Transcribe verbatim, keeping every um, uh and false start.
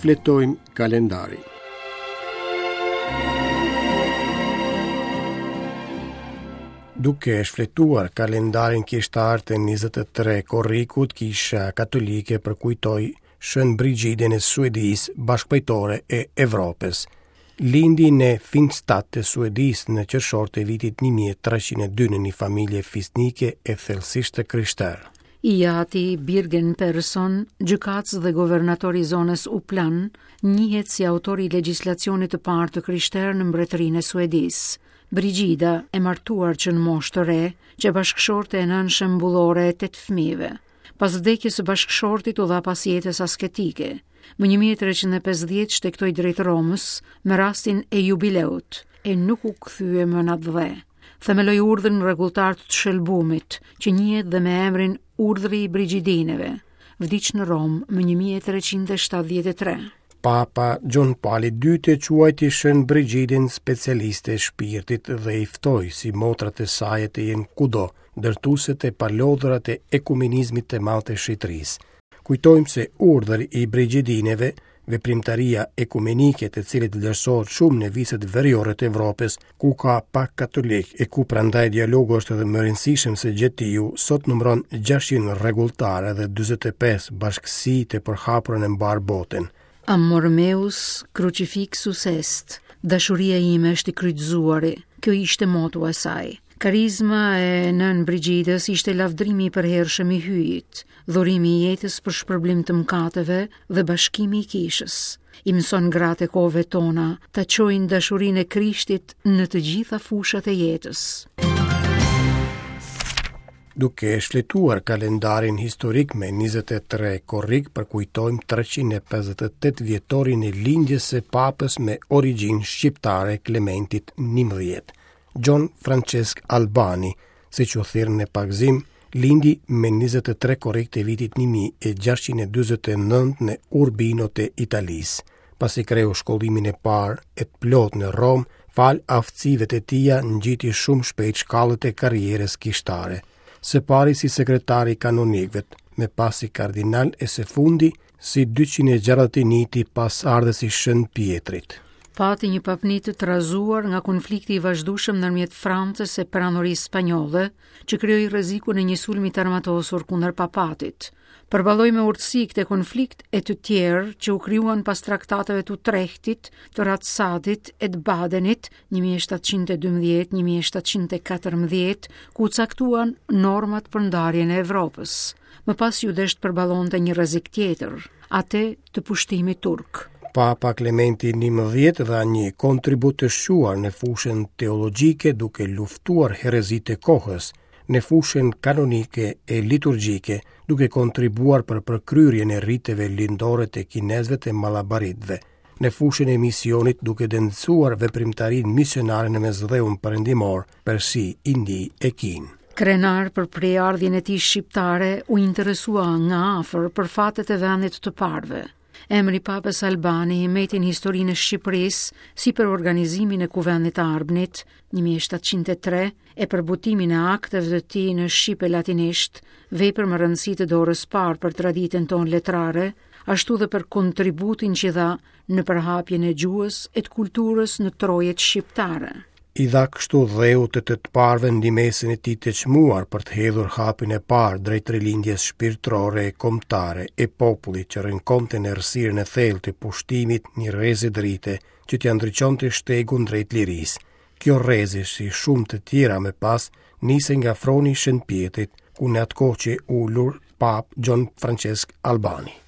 Shfletojmë kalendarin. Duke shfletuar kalendarin kishtar të njëzet e tre korrikut, Kisha Katolike përkujtoi Shën Brigidën e Suedisë, bashkëpajtore e Evropës. Lindi në Finstad të Suedisë në qershor të vitit një mijë e treqind e dy në një familje fisnike e thellësisht të krishterë. I ati Birgen Persson, gjykatës dhe guvernator i zonës Uplan, njihet si autori i legjislacionit të parë të krishterë në mbretërinë e Suedisë. Brigida, e martuar që në moshë të re, që bashkëshorte e nënë shembullore e tetë fëmijëve. Pas vdekjes së bashkëshortit u dha pas jetës asketike. Më një mijë e treqind e pesëdhjetë shtegtoi drejt Romës me rastin e jubileut e nuk u kthye më në atdhe. Themeloi urdhrin rregulltar të Shëlbumit, që njihet dhe me emrin Urdhri i Brigidineve. Vdiq në Romë më një mijë e treqind e shtatëdhjetë e tre. Papa Gjon Pali i dytë e quajti Shën Brigidin specialiste e shpirtit dhe i ftoi si motrat e saj të jenë kudo, ndërtueset e palodhura të ekumenizmit të madh të shenjtërisë. Kujtojmë se urdhri i Brigidineve, veprimtaria ekumenike të cilit vlerësohet shumë në viset veriore të Evropës, ku ka pak katolik e ku prandaj dialogu është edhe më rëndësishëm se gjetiu, sot numëron gjashtëqind rregulltare dhe dyzet e pesë bashkësi të përhapura në mbar botën. Amor meus crucifixus est, dashuria ime është i kryqëzuari. Kjo ishte motua e saj. Karizma e nën Brigidës ishte lavdrimi i përhershëm i Hyjit, dhurimi i jetës për shpërblim të mëkateve dhe bashkimi i kishës. I mëson gratë e kohëve tona ta çojnë dashurinë e Krishtit në të gjitha fushat e jetës. Duke shfletuar kalendarin historik me njëzet e tre korrik, përkujtojmë treqind e pesëdhjetë e tetë vjetorin e lindjes së papës me origjinë shqiptare Klementit njëmbëdhjetë. Gjon Francesc Albani, siç u thirr në pagëzim, lindi me njëzet e tre korrik të vitit një mijë e gjashtëqind e dyzet e nëntë në Urbino të Italisë. Pasi kreu shkollimin e parë e të plotë në Romë, fal aftësive të tija ngjiti shumë shpejt shkallët e karrierës kishtare. Së pari si sekretar i kanonikëve, më pas si kardinal e së fundi si dyqind e gjashtëdhjetë e një pas ardhës i Shën Pietrit. Pati një papni të trazuar nga konflikti i vazhdueshëm ndërmjet Francës e Perandorisë Spanjolle, që krijoi rrezikun e një sulmi të armatosur kundër papatit. Përballoi me urtësi këtë konflikt e të tjerë që u krijuan pas traktateve të Utrechtit, të Ratsadit e të Badenit, një mijë e shtatëqind e dymbëdhjetë, një mijë e shtatëqind e katërmbëdhjetë, ku u caktuan normat për ndarjen e Evropës. Më pas ju desh të përballonte një rrezik tjetër, atë të pushtimit turk. Papa Klementi njëmbëdhjetë dha një kontribut të shquar në fushën teologjike duke luftuar herezitë e kohës, në fushën kanonike e liturgjike, duke kontribuar për përkryerjen e riteve lindore të kinezëve të malabaritëve, në fushën e misionit duke dencuar veprimtarinë misionare në Mesdheun Perëndimor, Persi, Indi e Kinë. Krenar për prejardhjen e tij shqiptare, u interesua nga afër për fatet e vendit të parëve. Emri Papës Albani mbeti në historinë e Shqipërisë si për organizimin e Kuvendit të Arbnit një mijë e shtatëqind e tre e për botimin e akteve të tij në shqip e latinisht, vepër me rëndësi të dorës parë për traditën tonë letrare, ashtu dhe për kontributin që dha në përhapjen e gjuhës e të kulturës në trojet shqiptare. I dha kështu dheut të të të parëve ndihmesën e tij të çmuar për të hedhur hapin e parë drejt rilindjes shpirtërore e kombëtare e popullit që rënkonte në errësirën e thellë të pushtimit një rreze drite që t'ia ndriçonte shtegun drejt lirisë. Kjo rreze, si shumë të tjera më pas, nise nga froni i Shën Pietrit, ku në atë kohë që ulur Pap Gjon Francesc Albani.